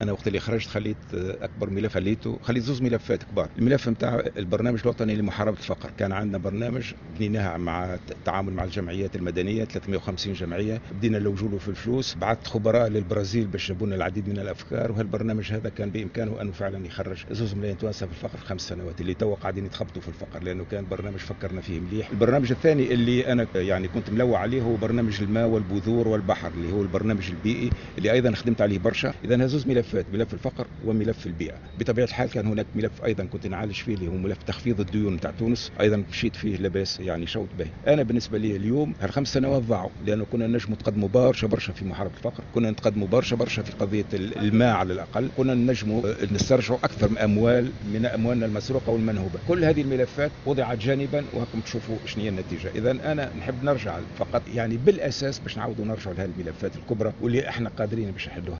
انا وقت اللي خرجت خليت اكبر ملف، خليته، خليت زوز ملفات كبار. الملف نتاع البرنامج الوطني لمحاربة الفقر، كان عندنا برنامج بنيناه مع التعامل مع الجمعيات المدنيه، 350 جمعيه، بدينا نلوجوا في الفلوس، بعثت خبراء للبرازيل باش جابوا لنا العديد من الافكار. وهالبرنامج هذا كان بامكانه انه فعلا يخرج 2 ملايين توانسة في الفقر في 5 سنوات اللي توا قاعدين يتخبطوا في الفقر، لانه كان برنامج فكرنا فيه مليح. البرنامج الثاني اللي انا يعني كنت ملوع عليه هو برنامج الماء والبذور والبحر، اللي هو البرنامج البيئي اللي ايضا خدمت عليه برشا. اذا زوز ملفات، ملف الفقر وملف البيئه. بطبيعة الحال كان هناك ملف ايضا كنت نعالج فيه اللي هو ملف تخفيض الديون نتاع تونس، ايضا مشيت فيه لاباس، يعني شوط باهي. انا بالنسبة لي اليوم هال5 سنوات ضاعوا، لانه كنا نجموا نتقدموا برشا برشا في محاربة الفقر، كنا نتقدموا برشا برشا في قضية الماء، على الاقل كنا نجموا نسترجعوا اكثر من اموال من اموالنا المسروقه والمنهوبه. كل هذه الملفات وضعت جانبا وهاكم تشوفوا شنو هي النتيجه. اذا انا نحب نرجع فقط يعني بالاساس باش نعاودوا نرجعوا لهذه الملفات الكبرى واللي احنا قادرين باش نحلوها.